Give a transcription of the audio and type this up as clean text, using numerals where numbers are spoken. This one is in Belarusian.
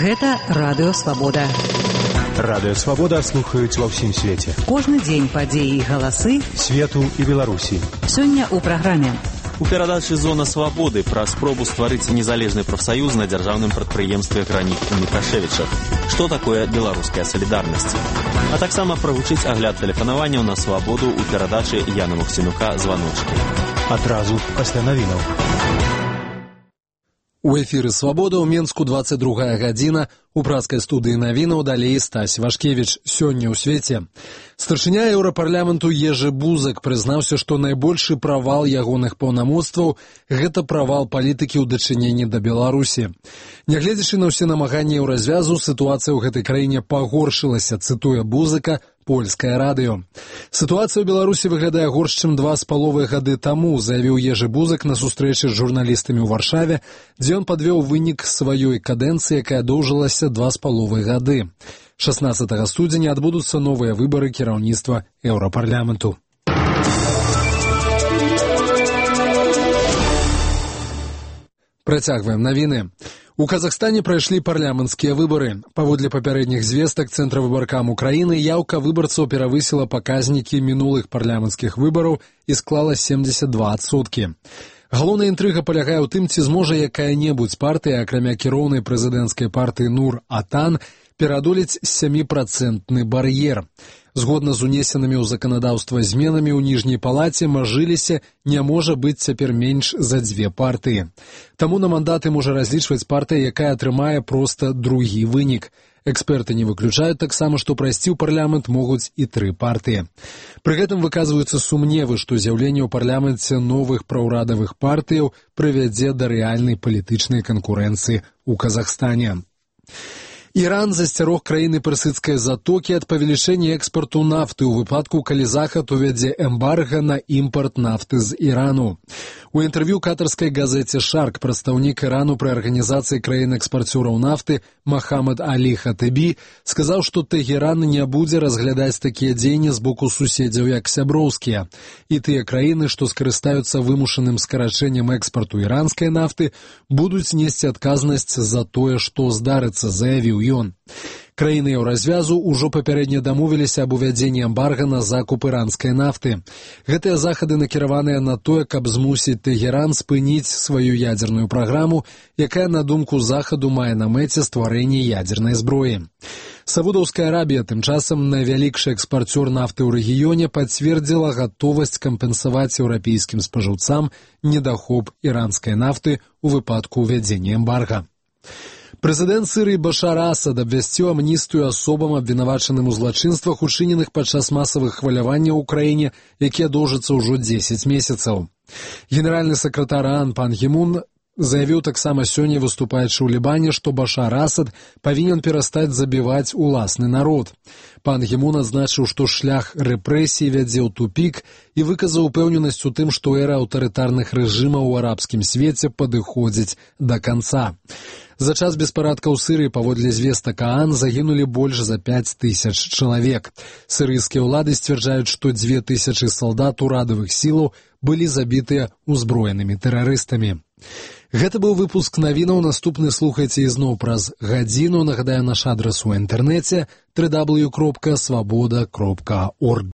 Гэта Радыё Свабода. Радыё Свабода слухаюць ва ўсім свеце. Кожны дзень падзеі і галасы свету і Беларусі. Сёння ў праграме. У перадачы «Зона свабоды» пра спробу стварыць незалежны прафсаюз на дзяржаўным прадпрыемстве «Граніт» у Мікашэвічах. Што такое беларуская салідарнасць? А таксама правучыць агляд тэлефанаванняў на свабоду ў перадачы Яна Мухсінука «Званочкі». Адразу пасля навінаў. У эфіры «Свабода» ў Менску 22 гадзіна. У пражскай студыі навінаў далей Стась Вашкевіч. Сёння ў свеце. Старшыня Еўрапарламенту Ежы Бузак прызнаўся, што найбольшы правал ягоных паўнамоцтваў – гэта правал палітыкі ў дачыненні да Беларусі. Нягледзячы на ўсе намаганні еўразвязу, сітуацыя ў гэтай краіне пагоршылася, цытуе Бузака, польскае радыё. Сітуацыя ў Беларусі выглядае горш, чым 2,5 гады таму, заявіў Ежы Бузак на сустрэчы з журналістамі ў Варшаве, дзе ён падвёў вынік сваёй кадэнцыі, якая доўжылася 2,5 гады. 16 студзеня адбудуцца новыя выбары кіраўніцтва Еўрапарламенту. Працягваем навіны. У Казахстане прайшлі парламенцкія выбары. Паводле папярэдніх звестак Цэнтравыбаркам Украіны яўка выбарцаў перавысіла паказнікі мінулых парламенцкіх выбараў і склала 72%. Галоўная інтрыга палягае ў тым, ці зможа якая-небудзь партыя, акрамя кіроўнай прэзідэнцкай партыі Нур-Атан, пераадолець 7% бар'ер. Згодна з унесенымі ў заканадаўства зменамі ў ніжняй палаце мажыліся не можа быць цяпер менш за 2 партыі. Таму на мандаты можа разлічваць партыя, якая атрымае проста другі вынік. Эксперты не выключаюць таксама, што прайсці ў парламент могуць і 3 партыі. Пры гэтым выказваюцца сумневы, што з'яўленне ў парламенце новых праўрадавых партыяў прывядзе да рэальнай палітычнай канкурэнцыі ў Казахстане. Іран засцярог краіны персыдскай затокі ад павелічэння экспарту нафты ў выпадку, калі Захад увядзе эмбарга на імпарт нафты з Ірану. У інтэрв'ю катарскай газеце «Шарк» прадстаўнік Ірану пры арганізацыі краін-экспарцёраў нафты Махамад Алі Хатыбі сказаў, што Тэгеран не будзе разглядаць такія дзеянні з боку суседзяў як сяброўскія. І тыя краіны, што скарыстаюцца вымушаным скарачэннем экспарту іранскай нафты, будуць несці адказнасць за тое, што здарыцца, заявіў ён. Краіны еўразвязу ўжо папярэдне дамовіліся аб увядзенні эмбарга на закуп іранскай нафты. Гэтыя захады накіраваныя на тое, каб змусіць Тэгеран спыніць сваю ядзерную праграму, якая, на думку Захаду, мае на мэце стварэнне ядзернай зброі. Саудаўская Арабія, тым часам найвялікшы экспарцёр нафты ў рэгіёне, пацвердзіла гатовасць кампенсаваць еўрапейскім спажыўцам недахоп іранскай нафты ў выпадку ўвядзення эмбарга. Прэзідэнт Сірыі Башар Асад абвясціў амністыю асобам, абвінавачаным у злачынствах, учыненых падчас масавых хваляванняў у краіне, якія доўжацца ўжо 10 месяцаў. Генеральны сакратар ААН Пан Гі Мун заявіў таксама сёння, выступаючы ў Лібане, што Башар Асад павінен перастаць забіваць уласны народ. Пан Гі Мун адзначыў, што шлях рэпрэсій вядзе ў тупік і выказаў упэўненасць у тым, што эра аўтарытарных рэжымаў у арабскім свеце падыходзіць да канца. За час беспарадкаў у Сірыі, паводле звестак ААН, загінулі больш за 5000 чалавек. Сірыйскія ўлады сцвярджаюць, што 2000 салдат урадавых сілаў былі забітыя ўзброенымі тэрарыстамі. Гэта быў выпуск навінаў. Наступны слухайце ізноў праз гадзіну. Нагадаю, наш адрас у інтэрнэце www.svoboda.org.